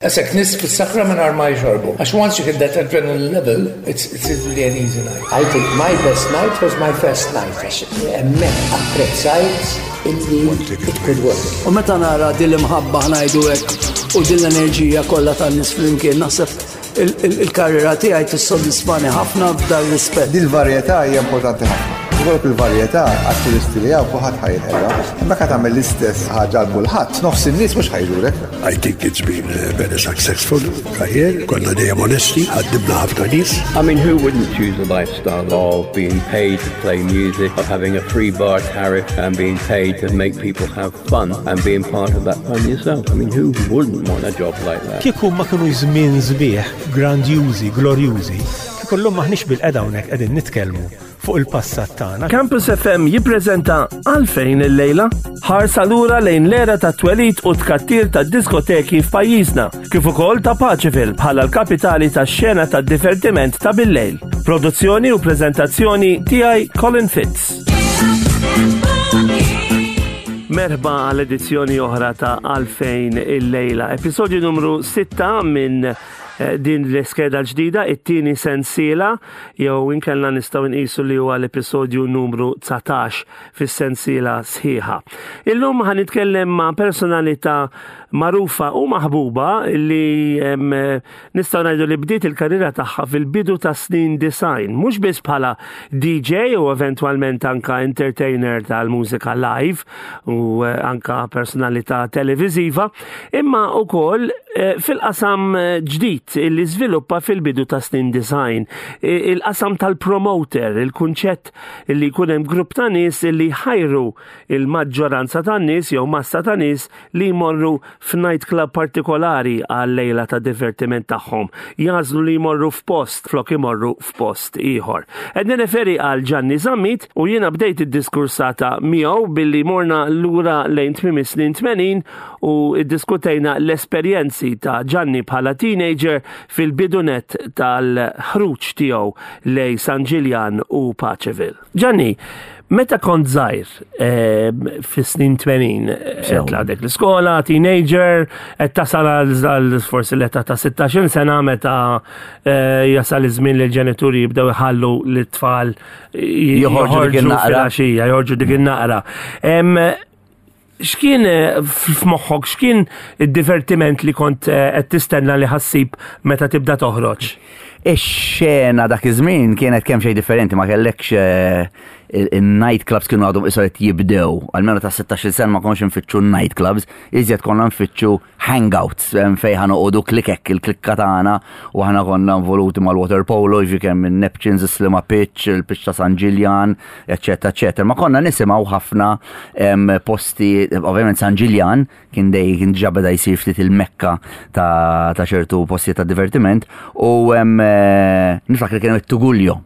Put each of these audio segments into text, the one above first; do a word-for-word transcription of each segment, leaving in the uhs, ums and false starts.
Qisek nies fis-sakra mingħajr ma jxorbu. Għax once you hit that adrenaline level, it's, it's really an easy night. I think my best night was my first night. Għax hemmhekk apprezzajt illi it could work. U meta nara din l-imħabba, ħa ngħidu hekk, u din l-enerġija kollha tan-nies flimkien, naħseb il-karriera tiegħi tissodisfani ħafna f'dan rispett. Dil-varjetà hija importanti ħafna. Ikollok il-varjetà għat-turisti li hawn, kulħadd ħa jinħela. Imma ka tagħmel l-istess ħaġa għal kulħadd, nofs in-nies mhux ħa jżurek. I think it's been a very successful career. Konna dejjem onesti, ħaddimna ħafna nies. I mean, who wouldn't choose a lifestyle of being paid to play music, of having a free bar tariff and being paid to make people have fun and being part of that fun yourself? I mean, who wouldn't want a job like that? Kieku ma kienu żmien sbieħ, grandjużi, glorjużi, kieku llum maħniex bilqiegħda hawnhekk qegħdin nitkellmu fuq il-passat tagħna. Campus F M jippreżenta Għalfejn il-lejla, ħarsa lura lejn l-era ta' twelid u tkattir ta' diskoteki f'pajjiżna, kif ukoll ta' Paceville bħala l-kapitali tax-xena ta' divertiment ta' bil-lejl. Produzzjoni u preżentazzjoni tiegħi, Colin Fitz. Merħba għal edizzjoni oħra ta' Għalfejn il-lejla, episodju numru sitta minn eh, din l-iskeda l-ġdida, it-tieni sensiela, jew inkella nistgħu nqisu li huwa l-episodju numru dsatax fis-sensiela sħiħa. Illum ħa nitkellem ma' personalità magħrufa u maħbuba li em, nistgħu ngħidu li bdiet il-karriera tagħha fil-bidu ta' snin disgħin, mhux biss bħala D J u eventwalment anka entertainer tal-mużika live u eh, anka personalità televiziva, imma ukoll eh, fil-qasam eh, ġdid illi żviluppa fil-bidu ta' snin disgħin. Il-qasam tal-promoter, il-kunċett li jkun hemm grupp ta' nies illi ħajru il-maġġoranza ta' nies jew massa ta' nies li jmorru f'night club partikolari għal lejla ta' divertiment tagħhom. Jagħżlu li jmorru f'post flok imorru f'post ieħor. Qed nirreferi għal Gianni Zammit u jiena bdejt id-diskursata miegħu billi morna lura lejn tmiem is-snin tmenin u iddiskutejna l-esperjenzi ta' Gianni bħala teenager fil-bidunet tal-ħruġ tiegħu lejn San Ġiljan u Paceville. Gianni, meta kont żgħir eh, fis-snin tmenin, qed għadek l-iskola, teenager, qed tasal għal forsi l-età ta' sittax-il sena meta eh, jasal iż-żmien li l-ġenituri jibdew iħallu l-tfal joħorġu dik in-naqra. Filgħaxija, joħorġu dik in-naqra. Em, X'kien eh, f'moħħok, x'kien id-divertiment li kont eh, qed tistenna li ħa ssib meta tibda toħroġ? Ix-xena dak iż-żmien kienet kemm xejn differenti, ma kellekx eh, il-night clubs kienu għadhom issa qed jibdew. Almenu ta' sittax-il sena ma konx nfittxu night clubs, iżjed konna nfittxu hangouts em, fejn ħa noqogħdu klikek, il-klikka tagħna, u aħna konna involuti mal-water polo, ġi kemm il-Neptunes, il-Sliema Pitch, il-pitch ta' San Ġiljan, eccetera, eccetera. Ma konna nisimgħu ħafna em, posti, ovvjament San Ġiljan kien dej kien ġa beda jsir ftit il-mekka ta' ta' ċertu posti ta' divertiment u em, eh, niftakar kien hemm it-Tuguljo.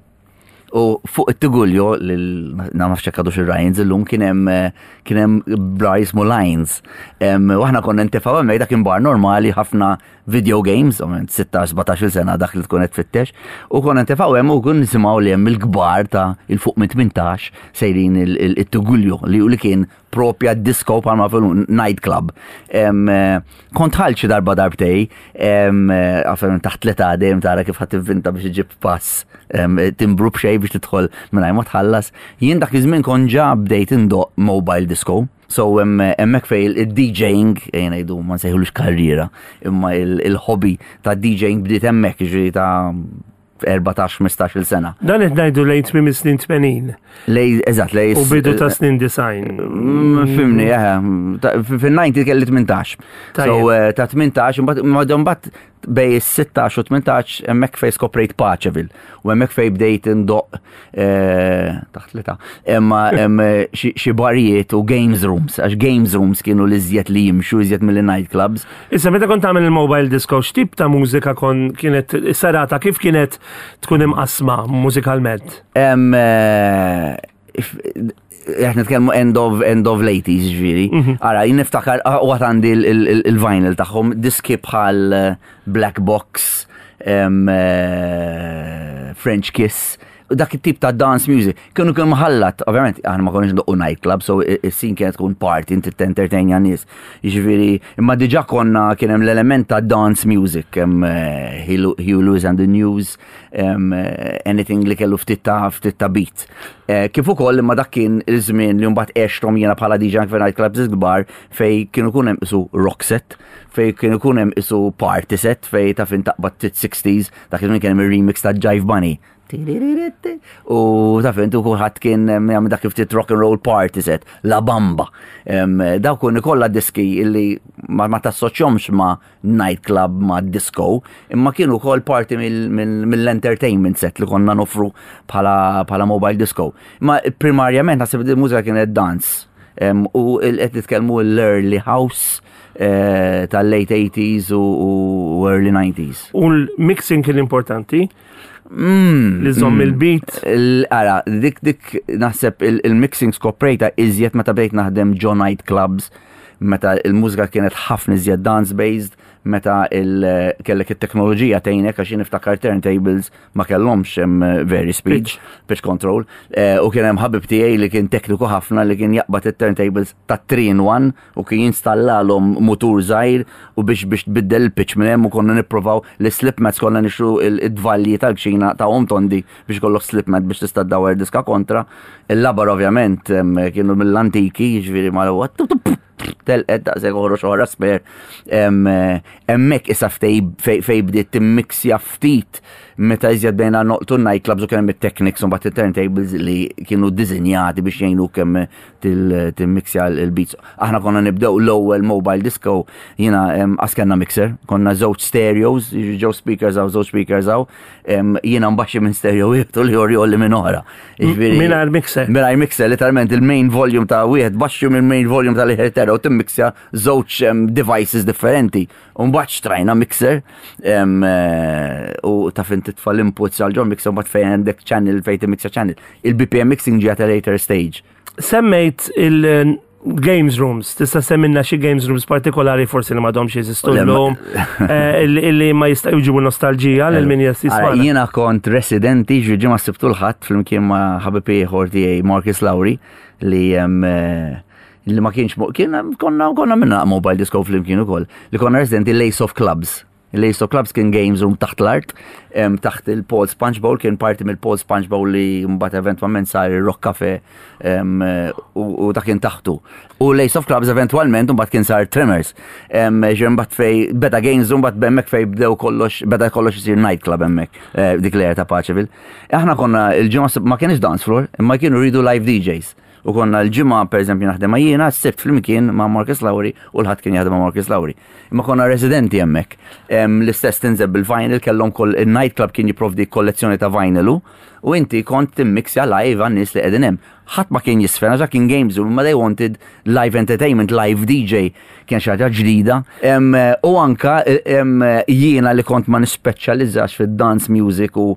U fuq it-Tuguljo, na nafx hekk għadux ir-Ryans illum, kien hemm eh, kien hemm bar jismu Lines. Em, U aħna konna nintefgħu hemmhekk, dak kien bar normali, ħafna video games, ovvjament sittax sbatax-il sena dak li tkun qed tfittex, u konna nintefgħu hemm u kun nisimgħu li hemm il-kbar ta' 'il fuq minn tmintax sejrin il-Tuguljo li li kien propja disco bħalma fil night club. Em, eh, Kont dħalt xi darba darbtejn, em, eh, għafem taħt l-età dejjem tara kif ħadd tivvinta biex iġib pass, em, timbru b'xejn biex tidħol mingħajr ma tħallas. Jien dak iż-żmien kont ġa bdejt indoq mobile disco. So hemmhekk fej il-D J-ing, ejja ngħidu ma nsejħulux karriera, imma il-hobby ta' D J-ing bdiet hemmhekk, ġifieri ta' erbatax ħmistax-il sena. Dan qed ngħidu lejn tmiem is-snin tmenin Lej, eżatt, lej. U bidu ta' snin disgħin. Mm, Fhimni, eh, fil-disgħin kelli tmintax. So, Tajjeb. eh, ta' tmintax, imbagħad imbagħad bejn sittax u tmintax hemmhekk fej skoprejt Paceville. U hemmhekk fej bdejt indoq eh, taħt l-età. Imma hemm xi xi barijiet u games rooms, għax games rooms kienu l-iżjed li jimxu iżjed mill night clubs. Issa, meta kont tagħmel il-mobile disco, x'tip ta' mużika kon kienet serata, kif kienet tkun imqasma mużikalment? Em, eh, if- Qed nitkellmu end of end of l-eighties, ġifieri. Ara, jien niftakar ah, u għad għandi il-vinyl tagħhom, diski bħal eh, Black Box, em, eh, French Kiss, Dak it-tip ta' dance music. Kienu kienu mħallat, ovvjament, aħna ma konniex ndoqqu nightclub, so is-scene kienet tkun party, inti tentertainja nies. Jiġifieri, imma diġà konna kien hemm l-element ta' dance music, hemm eh, Huey Lewis and the News, em, eh, anything li kellu ftit ta' ftit ta' beat. Eh, Kif ukoll imma dak kien il-żmien li mbagħad għexthom jiena bħala D J anke nightclubs kbar fej kienu kun hemm isu rock set, fej kienu kun hemm isu party set, fej ta' fin taqbad sixties, dak iż-żmien kien hemm ir-remix ta' Jive Bunny. U ta' fin tu kulħadd kien em, jagħmel dak ftit rock and roll party set, La Bamba. Em, Dawk kun kollha diski illi ma, ma tassoċjomx ma' nightclub, ma' disco, imma kienu wkoll parti mill-entertainment set li konna nofru bħala bħala mobile disco. Ma primarjament naħseb li mużika kienet dance. Em, U qed nitkellmu l-early house eh, tal-late eighties u, u early nineties. U l-mixing kien importanti, Mm, li żomm mm. il-beat. Ara, dik dik naħseb il-mixing skoprejta iżjed meta bdejt naħdem ġo night clubs, meta il-mużika kienet ħafna iżjed dance-based, meta il- kellek it-teknoloġija tgħinek, għax jien niftakar turntables ma kellhomx hemm very speed, Pitch. Pitch control, eh, u kien hemm ħabib tiegħi li kien tekniku ħafna li kien jaqbad it-turntables ta' three in one u kien jinstallalhom mutur żgħir u biex biex tbiddel il-pitch minn hemm, u konna nippruvaw li slip mats, konna nixtru il-dvalji tal-kċina ta' om tondi biex kollok slip mat biex tista' ddawwer diska kontra. Il-labar ovvjament em, kienu mill-antiki, jiġifieri ma telqet daqshekk oħroġ oħra spare. Em, eh, Hemmhekk issa ftej fej fej bdiet timmixja ftit meta iżjed bejna noqtu nightclubs u kien hemm it-technics u mbagħad it-turntables li kienu ddisinjati biex jgħinu kemm timmixja l-beats. Aħna konna nibdew l-ewwel mobile disco, jiena em, qas kellna mixer, konna żewġ stereos, ġew speakers hawn, żewġ speakers hawn, em, jiena mbaxxi minn stereo wieħed u l-ieħor jgħolli minn oħra. Jiġifieri- Mingħajr mixer. Mingħajr mixer, literalment il-main volume ta' wieħed baxxu minn main volume tal-ieħor tera u timmixja żewġ em, devices differenti. U mbagħad xtrajna mixer em, eh, u ta' fin titfa' l-inputs għal ġol mixer, mbagħad fejn għandek channel fejn timmixja channel. Il-B P M mixing ġie at a later stage. Semmejt il-games rooms, tista' semmilna xi games rooms partikolari forsi li m'għadhomx jeżistu Le, ma- llum, eh, illi illi ma jista' jġibu nostalġija lil min Ara, jismana? jiena kont residenti ġi ġimgħa, Sibtu l-Ħadd, flimkien ma' ħabib ieħor tiegħi Marcus Lowry li em, eh, li ma kienx mo- kien konna konna minna mobile disco flimkien ukoll li konna residenti Lace of Clubs. Lace of Clubs kien games room taħt l-art, em, taħt il-Paul Sponge Bowl, kien parti mill-Paul Sponge Bowl li mbagħad eventwalment sar il-Rock Cafe em, u, u dak kien taħtu. U Lace of Clubs eventwalment mbagħad kien sar Tremors. Em, Ġi mbagħad fej beda games room, mbagħad hemmhekk fej bdew kollox, beda kollox isir nightclub hemmhekk, eh, dik l ta' Paceville. Aħna konna il-ġimgħa, ma kienx dance floor, imma kienu rridu live D Js. U konna l-ġimgħa per eżempju naħdem ma' jiena, s-Sibt flimkien ma' Marcus Lowry u l-Ħadd kien jaħdem ma' Marcus Lowry. Imma konna residenti hemmhekk. Em, L-istess tinżel bil-vinyl, kellhom kol il-nightclub kien jipprovdi kollezzjoni ta' vinyl u u inti kont timmixja live għan-nies li qegħdin hemm. Ħadd ma kien jisfen għax kien games room, ma they wanted live entertainment, live D J, kien xi ħaġa ġdida. Em, U anka em, jiena li kont ma nispeċjalizzax fid-dance music u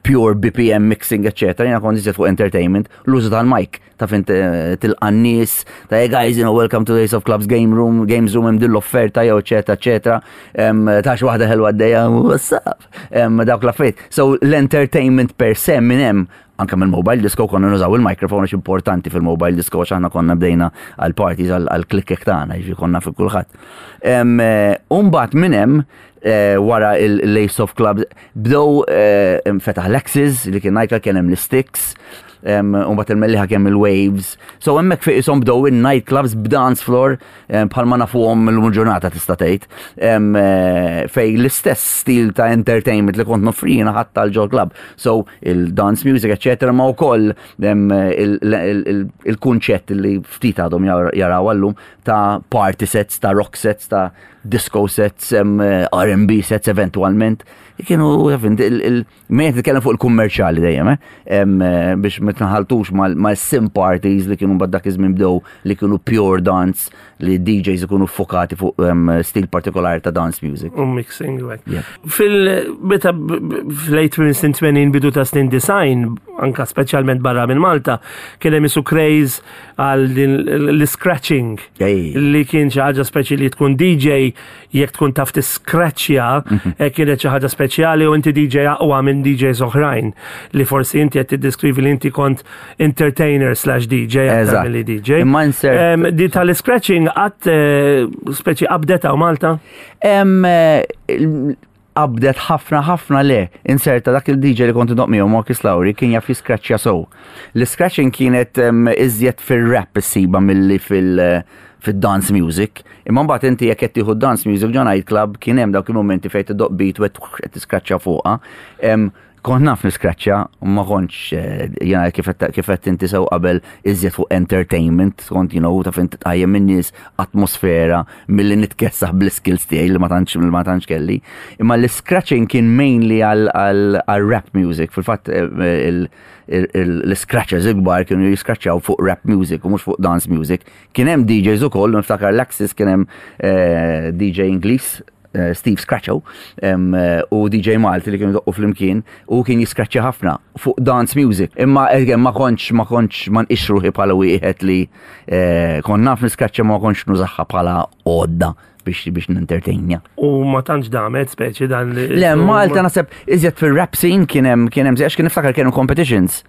pure B P M mixing, eccetera. Jiena kont iżjed fuq entertainment, l-użu tal-mic, ta' fin tilqa' n-nies, ta' "Hey guys, you know, welcome to the Ace of Clubs game room, games room, hemm din l-offerta", jew eccetera, eccetera. Em, Ta' xi waħda ħelwa għaddejja, what's up? Em, Dawk l-affarijiet. So l-entertainment per se minn hemm, anka mill mobile disco konna nużaw il-microphone għax importanti fil-mobile disco, għax aħna konna bdejna għal-parties għal-klikkek tagħna, jiġifieri konna fi kulħadd. Em, eh, Umbagħad minn hemm eh, wara il-Lace of Clubs bdew eh, fetaħ Lexis li kien nightclub, kien hemm l-Sticks, u mbagħad il-Mellieħa kien il-Waves. So hemmhekk fejn isom bdew in-nightclubs b'dance floor em, bħalma nafuhom illum ġurnata tista' tgħid. Em, eh, Fej l-istess stil ta' entertainment li kont noffrina ħadd tal-ġol club. So il-dance music, eccetera, ma wkoll em, il- il- il- il-kunċett li ftit għadhom jar- jaraw għallum ta' party sets, ta' rock sets, ta' disco sets, em, R and B sets eventualment. Kienu, mejn titkellem fuq il-kummerċjali dejjem, eh? Em, eh, biex ma tnaħaltux mal-sim parties li kienu mbagħad dak iż-żmien bdew li kienu pure dance, li D Js ikunu fokati fuq em, stil partikolari ta' dance music. U mixing, u hekk. Yeah. Fil-meta fl-late snin tmenin, bidu ta' snin disgħin, anka speċjalment barra minn Malta, kien hemm isu craze għal din l-scratching Ej. li kien xi ħaġa speċi li tkun D J. jekk tkun taf tiskraċċja eh, kienet xi ħaġa speċjali u inti D J aqwa minn D Js oħrajn li forsi inti qed tiddeskrivi li inti kont entertainer slash D J aktar Eżatt. milli D J. Imma insert- Em, Di tal-scratching qatt eh, speċi qabdet hawn Malta? Em, eh, qabdet ħafna ħafna le. Inserta dak il-D J li kont indoqq miegħu, Marcus Lowry, kien jaf jiskraċċja so. L-scratching kienet em, iżjed fil-rap issiba milli fil- fil-dance music. Imma mbagħad inti jekk qed tieħu dance music ġo nightclub, kien hemm dawk il-momenti fejn tiddoq beat u qed tiskraċċja fuqha. Em, Kont naf niskraċċja, u ma kontx eh, jena kif qed- kif qed inti sew qabel, iżjed fuq entertainment, kont you know, taf inti tqajjem min-nies, atmosfera, milli nitkessaħ bl-skills tiegħi li ma tantx li ma tantx kelli. Imma l-scratching kien mainly għal għal għal rap music. Fil-fatt eh, il- il- il- l-scratchers ikbar kienu jiskraċċjaw fuq rap music u mhux fuq dance music. Kien hemm D Js ukoll, niftakar l-Axis kien hemm eh, D J Ingliż eh, Steve Scratcho em, eh, u D J Malti li kienu doqqu flimkien u kien jiskraċċja ħafna fuq dance music. Imma again, ma kontx ma kontx ma nqisx ruħi bħala wieħed li eh, kont naf niskraċċja, ma kontx nużaha bħala għodda biex biex nintertainja. U ma tantx damet speċi dan li. Le, Malta naħseb iżjed fil-rap scene kien hemm kien hemm għax kien niftakar kienu competitions.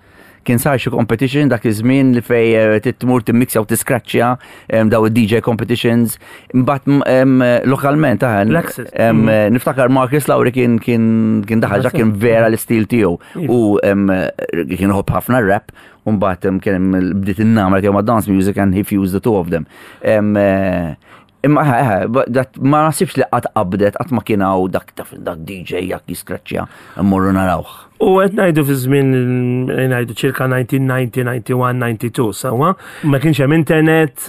Kien sar xi competition dak iż-żmien li fej eh, titmur timmixja u tiskraċċja em, daw id-D J competitions. Imbagħad m- em, lokalment aħen. L-Axis. em, Niftakar Marcus Lowry kien kien kien daħal ġa kien vera l-istil tiegħu u em, kien iħobb ħafna rap u mbagħad em, kien hemm bdiet in-namra tiegħu ma' dance music and he fused the two of them. Em, eh, Imma ħa, ħa, but that ma nasibx li qatt qabdet, qatt ma kien hawn dak taf dak D J jak jiskraċċja, mmorru narawh. U qed ngħidu fi żmien, ngħidu ċirka elf disa' mija disgħin, disgħa u disgħin, disgħa u tnejn, sewwa. Ma kienx hemm internet.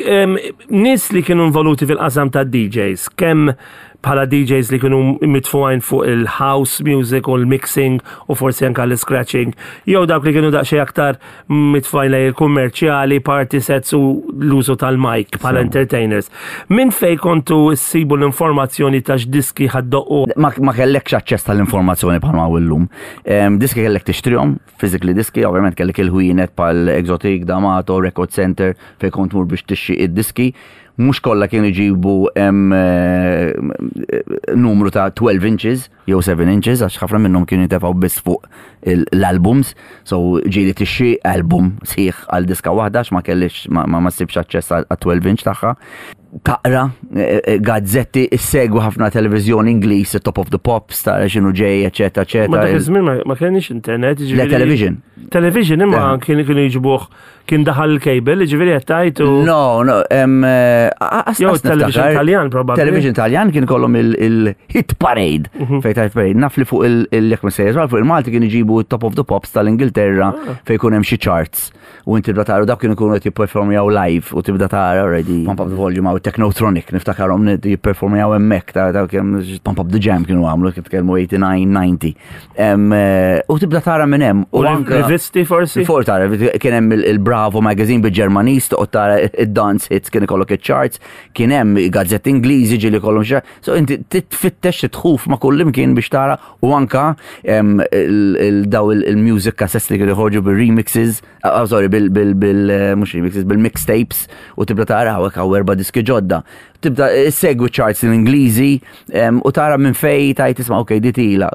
Em, Nies li kienu involuti fil-qasam ta' D Js, kemm bħala D Js li kienu mitfugħin fuq il-house music u l-mixing u forsi anka l-scratching, jew dawk li kienu daqsxejn aktar mitfugħin lejn il-kummerċjali, party sets u l-użu tal-mic bħala entertainers. Min fej kontu ssibu l-informazzjoni ta' x'diski ħa ddoqqu? Ma, ma kellekx aċċess tal-informazzjoni bħalma hawn illum. Em, diski kellek tixtrihom, physically diski, ovvjament kellek il-ħwienet bħal Exotic, D'Amato, Record Center, fej kont tmur biex tixtri id-diski. Mhux kollha kienu jġibu em, eh, numru ta' twelve inches jew seven inches, għax ħafna minnhom kienu jitefgħu biss fuq il- l-albums, so ġieli tixtri album sħiħ għal diska waħda għax ma kellix ma, ma, ma ssibx aċċess għal twelve inch tagħha. Taqra eh, eh, gazzetti, issegwi ħafna televiżjoni Ingliż, Top of the Pops, tara x'inhu ġej, eċetera, Ma dak eċetera. iż-żmien ma- ma kienx internet, Le, jiġifieri- television. Television, imma Le. kienu kienu jġibuh, kien daħal il-cable, ġifieri qed tgħid u No, no, em, eh, as- Jew as television niftakar- Taljan, probabbli. Television Taljan kien kollhom il-hit parade. Mhm. Fej ta' parade. Naf li fuq il-jekk ma sejjer fuq il-Malti kien iġibu Top of the Pops tal-Ingilterra Ah. fej jkun hemm xi charts. U inti tibda tara dawk kienu jkunu qed jipperformjaw live u tibda tara already Pump Up the Volume għaw Technotronic, niftakarhom jipperformjaw hemmhekk ta' ta' kemm Pump Up the Jam kienu għamlu, kif tkellmu tmienja u disgħin, disgħa u disgħin. Em, eh, U tibda tara minn hemm. U anka- rivisti forsi? For tara, kien hemm il- il-Bravo magazine bil-Ġermaniż, toqgħod tara id-dance hits, kien ikollok iċ-charts, kien hemm gazzetti Ingliżi ġieli kollhom xi. So inti titfittex titħuf ma' kull imkien biex tara u anka em, il- il- daw il- il-music cassettes li kienu joħorġu bil-remixes, ah, sorry, bil bil bil eh, mhux remixes, bil-mixtapes u tibda tara hawnhekk hawn erba' diski ġodda. Tibda segwi charts l-Ingliżi em, u tara minn fej tajt tisma' ok di tila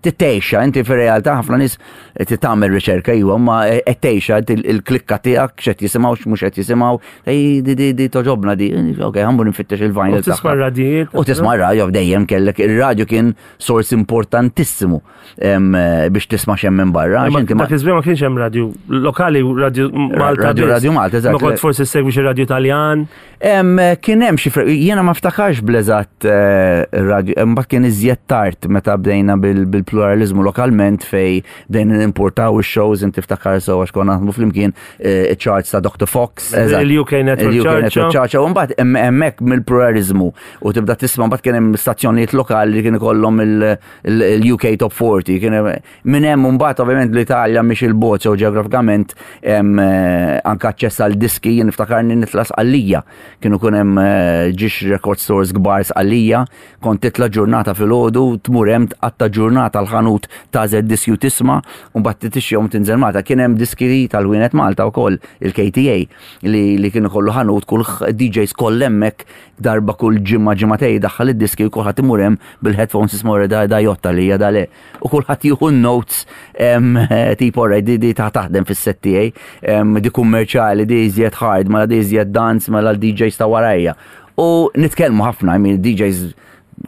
titejxa, inti fir-realtà ħafna nies tagħmel riċerka iwa, ma qed tgħixha inti il-klikka tiegħek x'qed jisimgħu, x'mhux qed jisimgħu, ej di di di toġobna di, ok, ħa mmur nfittex il-vinyl U tisma' tagħha. radijiet. U tisma' radio dejjem kellek, ir-radio kien sors importantissimu em, biex tisma' x'hemm minn barra. għax Ma inti ma- dak iż-żmien ma kienx hemm radio lokali, radio Malta. Radio- biss. Radio Malta, eżatt. Ma kont forsi segwi xi radio Taljan. Em, Kien hemm xi fre- jiena ma ftakarx bl-eżatt eh, radio, imbagħad kien iżjed tard meta bdejna bil- bil-pluralizmu lokalment fej bdejna nimportaw ix-shows, inti ftakar so għax konna naħdmu flimkien, eh, charts ta' Doctor Fox. Eżatt. Il-U K Network Il-U K Charts. Network Charts. U mbagħad hemm- hemmhekk mill-pluralizmu u tibda tisma' mbagħad kien hemm stazzjonijiet lokali li kien ikollhom il-U K Top forty. Kien hemm- minn hemm mbagħad ovvjament l-Italja mhix il-bogħod sew ġeografikament hemm eh, anke aċċess għal diski, jien niftakarni nitla' Sqallija. Kienu kun hemm eh, ġiex record stores kbar Sqallija, kont titla' ġurnata filgħodu, tmur hemm tqatta' ġurnata. għal-ħanut tagħżel diski u tisma', u mbagħad tixtrihom tinżel Malta. Kien hemm diski tal-ħwienet Malta wkoll, il-K T A, li, li kienu kollu ħanut, kull D Js koll hemmhekk, darba kull ġimgħa ġimgħatej daħħal id-diski u kulħadd imur hemm bil-headphones, isma' da da jotta li da le. U kulħadd jieħu notes em, tipo alright, di di ta' taħdem fis-set tiegħi, em, di kummerċjali, di iżjed hard, mela di iżjed dance, mela l-D Js ta' warajja. U nitkellmu ħafna, I mean, D Js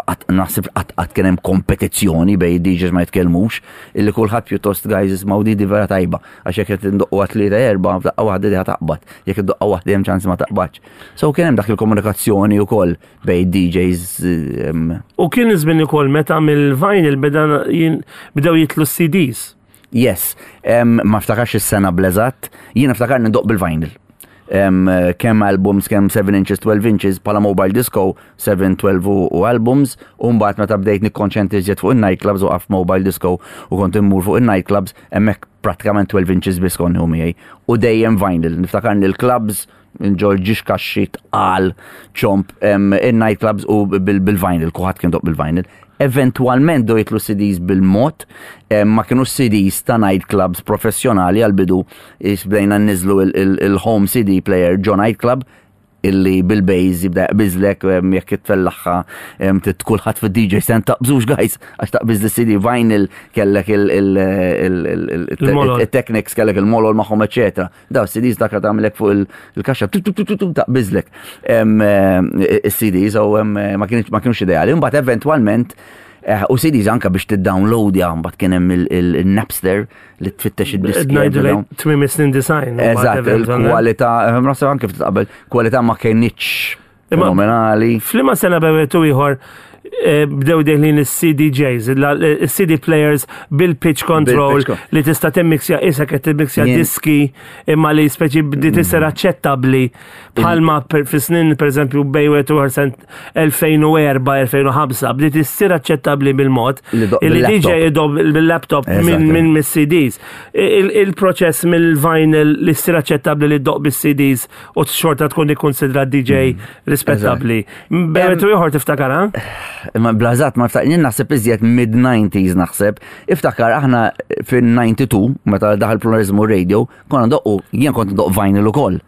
qatt- naħseb qatt qatt kien hemm kompetizzjoni bejn D Js, ma jitkellmux, illi kulħadd pjuttost, guys, ismgħu di di vera tajba, għax jekk qed indoqqu tlieta erba' f'daqqa waħda di taqbad, jekk iddoqqa waħda hemm ċans ma taqbadx. So kien hemm dak il-komunikazzjoni wkoll bejn D Js em, U kien iż-żmien ukoll meta mill-vinyl beda jin- bdew jitlu C Ds. Yes, em, ma ftakarx is-sena bl-eżatt, jiena ftakar nindoq bil-vinyl. Um, kemm albums, kemm seven inches, twelve inches, pala mobile disco, seven, twelve u, u albums, u mbagħad meta bdejt nikkonċentri iżjed fuq in-nightclubs u għaf mobile disco u kont immur fuq in-nightclubs, hemmhekk prattikament twelve inches biss kont nieħu miegħi. U dejjem vinyl, niftakar li l-clubs, nġorr ġiex kaxxi tqal ċomp em, in-nightclubs u bil- bil-vinyl, kulħadd kien idoqq bil-vinyl. Eventualment bdew jitlu C Ds bil-mod, em, ma kienu C Ds ta' nightclubs professjonali għal-bidu, bdejna nniżlu il-home C D player ġo nightclub, illi bil-bass jibda jaqbiżlek em, jekk tfellaħħa em, tit kulħadd fid-D J stand, taqbżux guys għax taqbiż l-C D. Vinyl kellek il- il- il- il- Il-molol. il-technics, kellek il-molol magħhom, eċetera. Daw C Ds dak tagħmilek fuq il- il-kaxxa tu- tu- tu- tu- tu, taqbiżlek Em, eh, il-C Ds u em, ma kienx ma kienux ideali. Imbagħad eventwalment eh, u C Ds anka biex tiddownloadja, mbagħad kien hemm il- il- il-Napster li tfittex id-diski. Ngħidu lejn tmiem is-snin disgħin. U mbagħad Eżatt, eventualment- il-kwalità, eh, naħseb anke ftit qabel, kwalità ma kienitx Imma- fenomenali. F'liema sena bewetu ieħor eh, bdew deħlin is-C D Js, il-C D players bil-pitch control Bil-pitch con- li tista' timmixja isa qed timmixja Jien- diski imma li speċi bdiet tisir aċċettabbli bħalma per- fi snin pereżempju bejn wieħed u ieħor elfejn u erbgħa elfejn u ħamsa bdiet issir aċċettabbli bil-mod Li doq illi bil-laptop. D J idoq bil-laptop minn Eżatt. minn mis-C Ds. Il- Il-proċess mill-vinyl li ssir aċċettabbli li ddoqq bis-C Ds u xorta tkun ikkonsidra D J rispettabbli. Bejn u ieħor tiftakar, ha? Imma bl-eżatt ma ftakar, jien naħseb iżjed mid-nineties naħseb. Iftakar aħna fin-ninety-two, meta daħal Pluralizmu Radio, konna ndoqqu, jien kont ndoqq vinyl ukoll.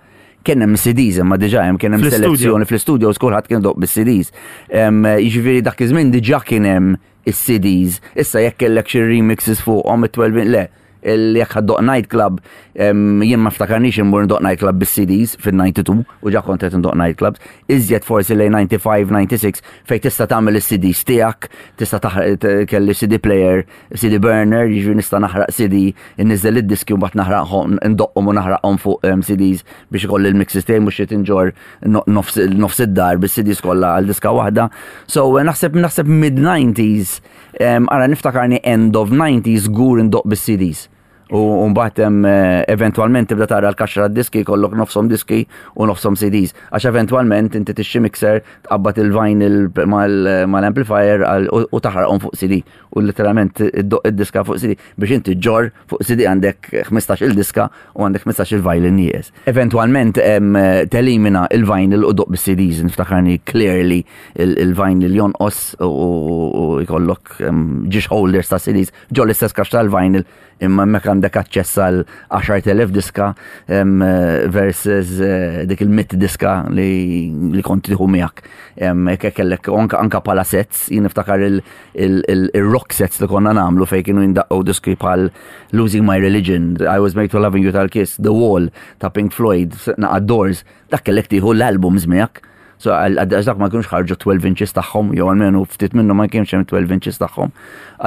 Kien hemm C Ds, imma diġà hemm kien hemm Fl-istudio. selezzjoni fl-studios, kulħadd kien idoqq bis-C Ds. Em, Jiġifieri dak iż-żmien diġà kien hemm is-C Ds. Issa jekk kellek xi remixes fuqhom it-twelve, le, il- jekk ħa ddoqq nightclub, em, jien ma ftakarnix immur ndoqq nightclub bis-C Ds fin-ninety-two u ġa kont qed ndoqq nightclubs. Iżjed forsi lejn ninety-five, ninety-six fejn tista' tagħmel is-C Ds tiegħek, tista' taħraq, kelli C D player, C D burner, jiġifieri nista' naħraq C D, inniżel id-diski u mbagħad naħraqhom, ndoqqhom u naħraqhom fuq em, C Ds biex ikolli l-mixes tiegħi, mhux qed inġor no- nofs nofs id-dar bis-C Ds kollha għal diska waħda. So eh, naħseb naħseb mid-nineties, em, ara niftakarni end of nineties żgur indoqq bis-C Ds. U mbagħad hemm eh, eventwalment tibda tara l-kaxxa diski kollok nofshom diski u nofshom C Ds. Għax eventwalment inti tixtri mixer, tqabbad il-vinyl mal- mal-amplifier għal- u u taħraqhom fuq C D. U literalment iddoqq id-diska fuq C D biex inti ġor fuq C D għandek ħmistax il-diska u għandek ħmistax il-vinyl nieqes. Eventwalment em, telimina il-vinyl u ddoqq bis-C Ds, niftakarni clearly il- il-vinyl jonqos u- u u jkollok em, ġiex holders ta' C Ds ġo l-istess kaxxa tal-vinyl, imma hemmhekk għandek aċċess għal għaxart elef diska em, eh, versus eh, dik il-mitt diska li, li kont tieħu miegħek. Em, Hekk kellek anka, anka pala sets, jien niftakar il- il- il- il-rock sets li konna nagħmlu fejn kienu jindaqqu diski bħal Losing My Religion, I Was Made for Loving You tal-Kiss, The Wall ta' Pink Floyd, naqa Doors, dak kellek tieħu l-albums miegħek. So għal għal dak ma kienux ħarġu twelve inches tagħhom, jew almenu ftit minnhom ma kienx hemm twelve inches tagħhom.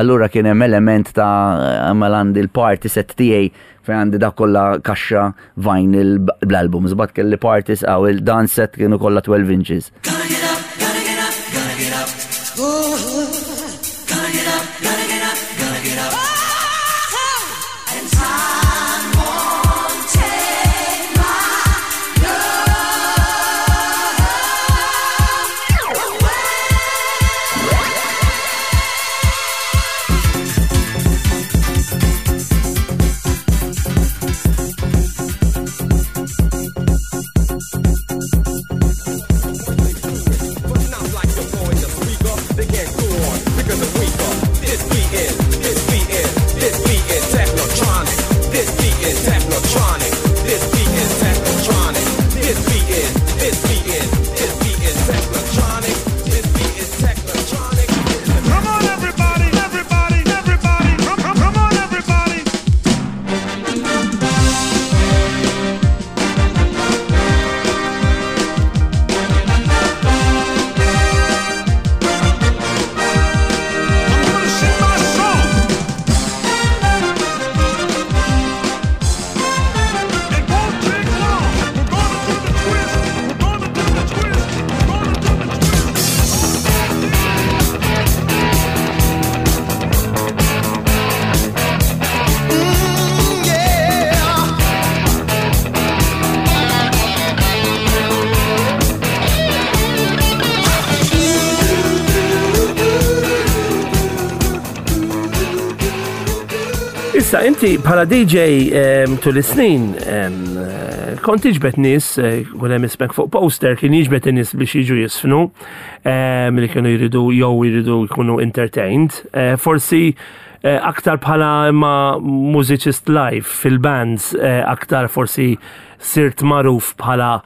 Allura kien hemm element ta' għamel għandi l-party set tiegħi fejn għandi dak kollha kaxxa vinyl bl-albums, but kelli parties għaw il-dance set kienu kollha twelve inches. Gotta get up, gotta get up, gotta get up. Gotta get up, gotta get up, gotta get up. And time won't take my love away. But not like the boy in the speaker. They can't go on because I'm weaker. This beat is, this Issa, inti bħala D J em, tul is-snin em, eh, kont tiġbed nies, eh, kun hemm ismek fuq poster, kien jiġbed in-nies biex jiġu jiżfnu, em, li kienu jridu jew jridu jkunu entertained. Eh, Forsi eh, aktar bħala imma mużiċist live fil-bands, eh, aktar forsi sirt magħruf bħala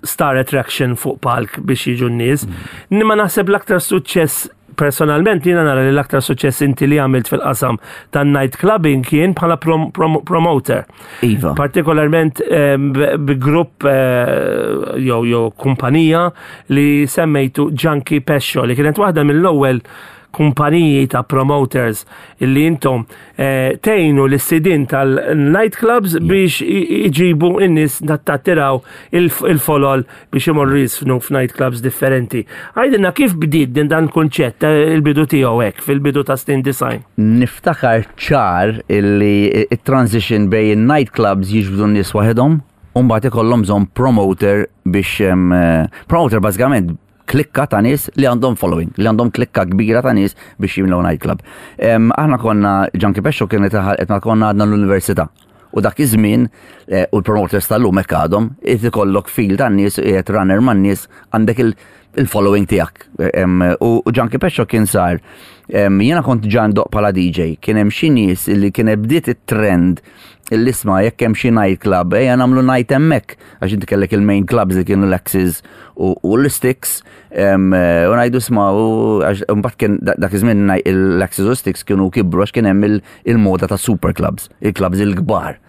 star attraction fuq palk biex jiġu n-nies. Imma naħseb l-aktar suċċess personalment, jiena nara li l-aktar suċċess inti li għamilt fil-qasam tan night clubbing kien bħala prom prom promoter. Iva. Partikolarment em, b- bi grupp eh, jew jew kumpanija li semmejtu Junkie Pescio, li kienet waħda mill-ewwel kumpaniji ta' promoters illi intom eh, tgħinu l-sidin tal-nightclubs biex i- iġibu in-nies, tattiraw il-folol biex imorru jiżfnu f'nightclubs differenti. Għidilna kif bdiet din dan kunċett, eh, il-bidu tiegħu hekk fil-bidu ta' snin disgħin. Niftakar ċar illi il-transition bejn nightclubs jiġbdu n-nies waħedhom u mbagħad ikollhom bżonn promoter biex em, eh, promoter bażikament klikka ta' nies li għandhom following, li għandhom klikka kbira ta' nies biex jimlew nightclub. Em, Aħna konna Junkie Pescio kienet qed konna għadna l-università. U dak iż-żmien eh, u l-promoters tal-lum hekk għadhom, irid ikollok fil tan-nies, qiegħed runner man-nies, għandek il- il-following tiegħek. Em, U u Junkie Pescio kien sar, em, jiena kont ġa ndoqq bħala D J, kien hemm xi nies li kien bdiet it-trend il-isma jekk hemm xi night club, ejja nagħmlu night hemmhekk, għax inti kellek il-main clubs li kienu l-Axis u u l-Sticks, em, eh, u ngħidu isma' u għax mbagħad kien dak dak iż-żmien naj- l-Axis u Sticks kienu kibru għax kien hemm il- il-moda ta' super clubs, il-clubs il-kbar.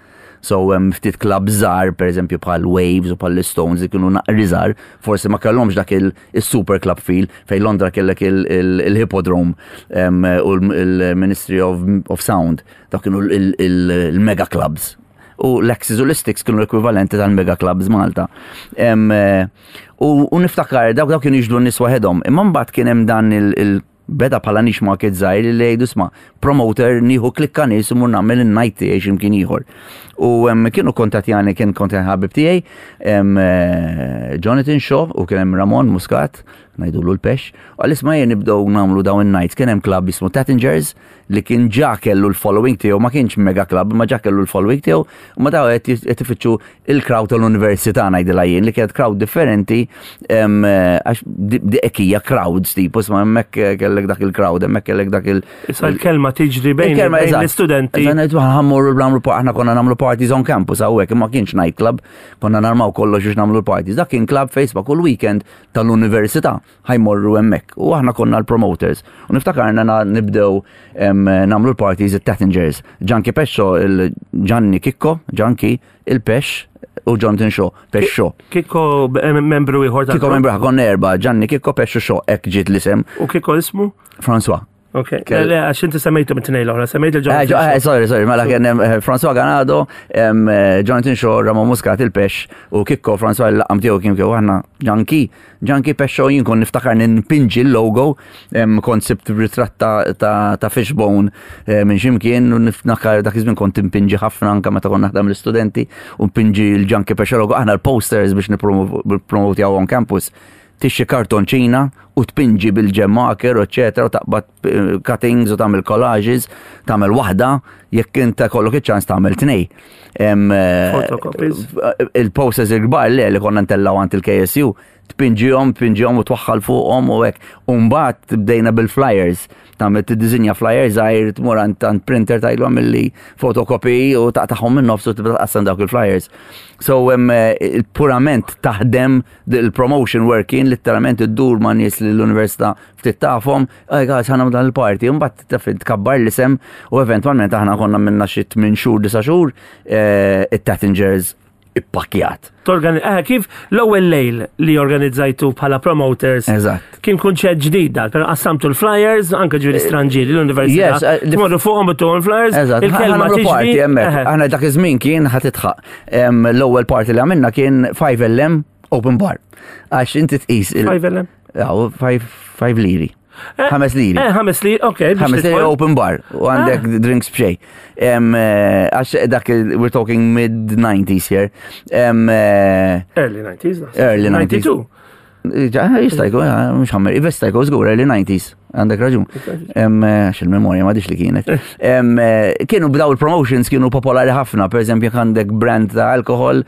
So um, ftit club żgħar, per eżempju bħal Waves u bħal Stones li kienu naqra żgħar, forsi ma kellhomx dak il-super club feel fejn Londra kellek il-Hippodrome um, u l-Ministry of, of Sound, dak kienu il-mega clubs. U l-Axis u l-Sticks kienu l-ekwivalenti tal-mega clubs Malta. Em, eh, U u niftakar, dawk dawk kienu jiġbdu n-nies waħedhom. Imma mbagħad kien hemm dan il- il- beda bħala niche market żgħir li jgħidu isma' promoter nieħu klikka nies u mur nagħmel in-night tiegħi x'imkien ieħor. U em, kienu kontattjani, kien kontattjani ħabib tiegħi, em, eh, Jonathan Shaw u kien hemm Ramon Muscat, ngħidulu l-Pex, u għal isma' jien nibdew nagħmlu dawn in-nights, kien hemm club jismu Tattingers li kien ġa kellu l-following tiegħu, ma kienx mega club, ma ġa kellu l-following tiegħu, u ma daw qed qed ifittxu il-crowd tal-università, ngħidilha jien, li kienet crowd differenti, em, eh, għax di di hekk crowds tipo, isma' hemmhekk kellek dak il-crowd, hemmhekk kellek dak il- Issa l-kelma tiġri bejn Il-kelma, bejn eżatt. l-istudenti. Eżatt, ngħidu ħa mmorru nagħmlu, aħna konna nagħmlu parties on campus hawnhekk, imma kienx nightclub, konna narmaw kollox biex nagħmlu parties. Dak kien club Facebook kull weekend tal-università ħa jmorru hemmhekk. U aħna konna l-promoters. U niftakarna na- nibdew em, nagħmlu l-parties it-Tattingers. Junkie Pescio, il-Gianni Kikko, Junkie, il-Pesh u Jonathan Shaw, Pesh Shaw. Kikko eh, membru ieħor tal Kikko membru, konna erba, Gianni Kikko, Pesh u Shaw, hekk ġiet l-isem. U Kikko ismu? François. Ok. Kell- Le, għax inti semmejtu mit-tnejn l-oħra, semmejt Eh, il-Jonathan ġo- eh, Shaw. sorry, sorry, mela kien hemm eh, François Ganado, em, eh, Jonathan Shaw, Ramon Muscat, il-Pesh u Kikko François il-laqam tiegħu kien kieku aħna Junkie, Junkie Pescio. Jien kon niftakar ninpinġi l-logo, em, kont sibt ritratt ta' ta' ta' fishbone eh, minn ximkien u niftakar dak iż-żmien kont impinġi ħafna anke meta kont naħdem l-istudenti u npinġi l-Junkie Pescio logo. Aħna l-posters biex nippromotjaw on campus, tixtri kartonċina u tpinġi bil-gel marker u eccetera, u taqbad eh, cuttings u tagħmel collages, tagħmel waħda, jekk inta kollok iċ-ċans tagħmel tnej. Em, eh, Photocopies. Il-posters il-kbar le li konna ntellaw għand il-K S U, tpinġihom, tpinġihom u twaħħal fuqhom u hekk. U mbagħad bdejna bil-flyers, tagħmel tiddisinja flyers żgħir, tmur għand għand printer tgħidlu għamilli photocopy u taqtagħhom minn nofs u tibda tqassam dawk il-flyers. So um, purament taħdem il-promotion working, literalment iddur ma' nies li l-università ftit tafhom, "Ej guys, ħa nagħmlu dan il-party," u mbagħad taf tkabbar l-isem u eventwalment aħna konna minna xi tmien xhur, disa' xhur, eh, it-Tattingers ippakjat. Torgani, eh, kif l-ewwel lejl li organizzajtu bħala promoters Eżatt. kien kunċett ġdid dal, però qassamtu l-flyers, anke ġifieri stranġieri l-università. Yes, eh, li- Tmorru fuqhom u l-flyers, Eżatt, il-kelma ħa nagħmlu party tiġri. hemmhekk. Eħe. Aħna dak iż-żmien kien ħa tidħaq. Em, L-ewwel party li għamilna kien five L M open bar. Għax inti tqis il- five L M? Jaw, five liri. Eh, Ħames liri. Eh, ħames liri, ok. Biex Ħames liri tidħol. open bar u għandek drinks b'xejn. Em, eh, Għax dak il- we're talking mid nineties here. Em, eh, Early nineties, naħseb. Early nineties. ninety-two. Ġa, jista' jkun, eh, mhux ħammer, jista' jkun żgur early nineties. Għandek raġun. Em, eh, Għax il-memorja ma li kienet. Em, eh, Kienu bdaw il-promotions kienu popolari ħafna, per eżempju jekk għandek brand ta' alkohol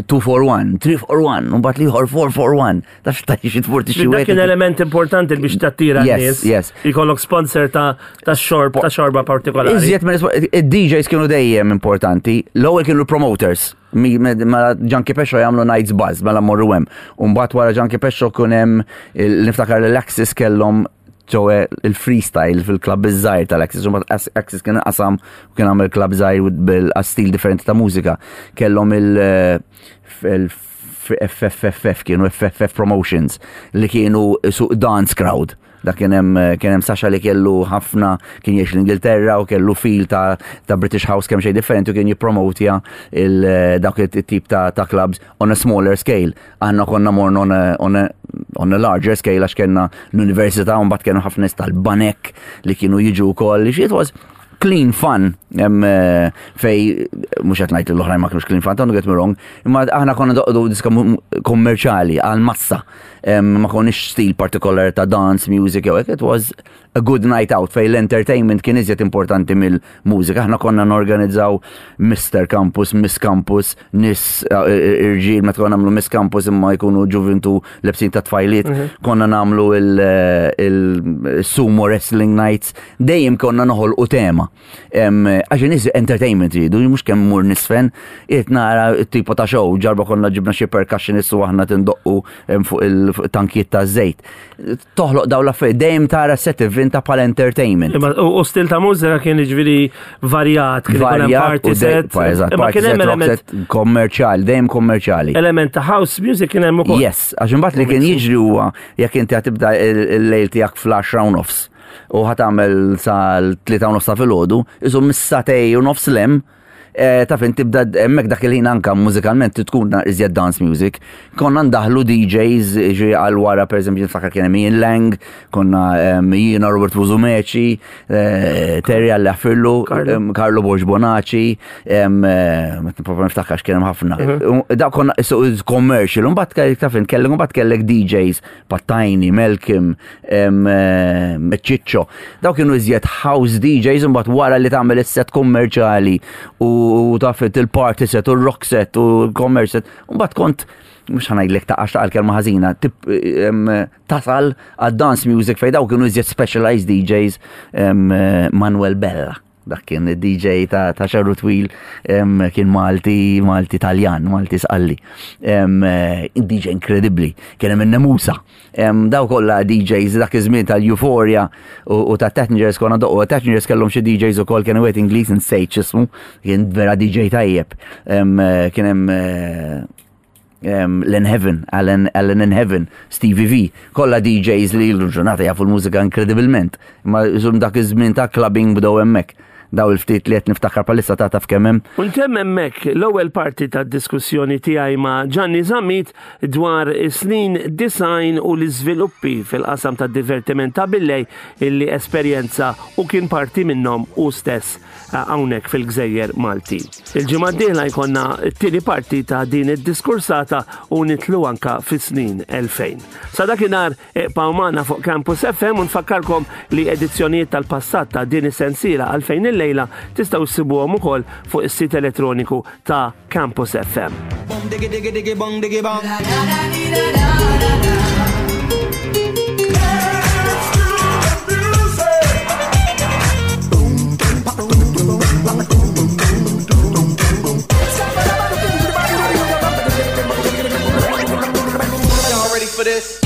two for one, three for one, u mbagħad l-ieħor four for one. Taf ta' xi tmur tixtri Dak kien element importanti biex tattira Yes, n-nies. yes. Ikollok sponsor ta' ta' xorb, ta' xorba partikolari. Iżjed minn id-D Js kienu dejjem importanti. L-ewwel kienu promoters. Mi- me- Mela Junkie Pescio jagħmlu Nights Buzz, mela morru hemm. U mbagħad wara Junkie Pescio kun hemm il- niftakar l-Axis kellhom ġewwa il-freestyle fil-club iż-żgħir tal-Axis. U mbagħad Axis kien qasam u kien għamel club żgħir bil-stil differenti ta' mużika. Kellhom il- il F F F F, kienu F F F Promotions li kienu su dance crowd. Da kien hemm kien hemm Sasha li kellu ħafna, kien jgħix l-Ingilterra u kellu feel ta', ta' British House kemm xejn differenti u kien jippromotja il dawk it-tip ta', ta' clubs on a smaller scale. Aħna konna morna on a, on a, on a larger scale għax kellna l-università u mbagħad kienu ħafna nies tal-banek li kienu jiġu wkoll. It was clean fun em, eh, fej mhux qed ngħid li l-oħrajn ma kienux clean fun, don't get me wrong, imma aħna konna ndoqqu diska mu- kommerċjali għal massa. Em, ma konniex stil partikolari ta' dance music jew hekk, it was a good night out fej l-entertainment kien iżjed importanti mill-mużika. Aħna konna norganizzaw Mister Campus, Miss Campus, nis eh, irġiel, meta konna nagħmlu Miss Campus imma jkunu ġuvintu lebsin ta' tfajliet, konna nagħmlu il-sumo wrestling nights, dejjem konna noħolqu tema. Em, Għax nies entertainment ridu, mhux kemm mur nisfen, jiet nara tipo ta' show, ġarba konna ġibna xi percussionist u aħna tindoqqu em, fuq il-tankijiet ta' żejt. Toħloq daw l-affarijiet, dejjem tara set event ta' pal entertainment. Imma u u stil ta' mużika kien ġifieri varjat, kien ikun hemm Varjat party u dej- set. pa- eżatt, Imma party kien set, hemm rock element set, kommerċjali, dejjem kommerċjali. Element ta' house music kien hemm ukoll. Yes, għax imbagħad li kien jiġri huwa jekk inti ħa tibda il-lejl tiegħek fl-għaxra u nofs u ħa tagħmel sal-tlieta u nofs ta' filgħodu, isu mis-sagħtejn u nofs 'l hemm, eh, taf inti tibda hemmhekk dak il-ħin anka mużikalment tkun iżjed dance music. Konna ndaħlu D Js ġi għal wara, per eżempju niftakar kien hemm Ian Lang, konna em, jiena, Robert Musumeci, eh, Terry għalli Affirlu, Carlo. em, Carlo Borg Bonaci, em, eh, ma nipprova niftakarx, kien hemm ħafna. Da konna so it's commercial, u mbagħad kellek taf int kellek mbagħad kellek D Js Pattajni, Malcolm, em, eh, Ciccio. Daw kienu iżjed house D Js, u mbagħad wara li tagħmel is-set kommerċjali u taf il-party set u l-rock set u l-commerce set, u mbagħad kont mhux ħa ngħidlek ta' għax ta' kelma ħażina, tip em, tasal għad dance music fej daw kienu iżjed specialized D Js, em, eh, Manuel Bella. Dak kien D J ta' ta' xagħru twil, em, kien Malti, Malti Taljan, Malti Sqalli. Em, eh, D J inkredibbli, kien hemm in-Nemusa. Em, Daw kollha D Js dak iż-żmien tal-Euphoria u u ta' Tatnigers konna doqqu, Tatnigers kellhom xi D Js ukoll, kien wieħed Ingliż insejt x'ismu, kien vera D J tajjeb. Em, eh, Kien hemm eh, um, Len Heaven, Alan, Alan in Heaven, Stevie V, kollha D Js li l-ġurnata jafu l-mużika inkredibilment. Ma zum dak iż-żmien ta' clubbing bdew hemmhekk. Daw il-ftit li qed niftakar palissa ta' taf kemm hemm. U ntemm hemmhekk l-ewwel parti tad-diskussjoni tiegħi ma' Gianni Zammit dwar is-snin disgħin u l-iżviluppi fil-qasam tad-divertiment ta' billejl illi esperjenza u kien parti minnhom u stess eh, hawnhekk fil-Gżejjer Malti. Il-ġimgħa d-dieħla jkollna t-tieni parti ta' din id-diskursata u nidħlu anka fis-snin elfejn. Sa dakinhar ibqgħu magħna fuq Campus F M u nfakkarkom li edizzjonijiet tal-passat ta' din is-sensiela Għalfejn il-lejla tistgħu ssibuhom ukoll fuq is-sit elettroniku ta' Campus F M. Bong diggy diggy diggy bong diggy bong. La da da dee da da da da. Y'all ready for this?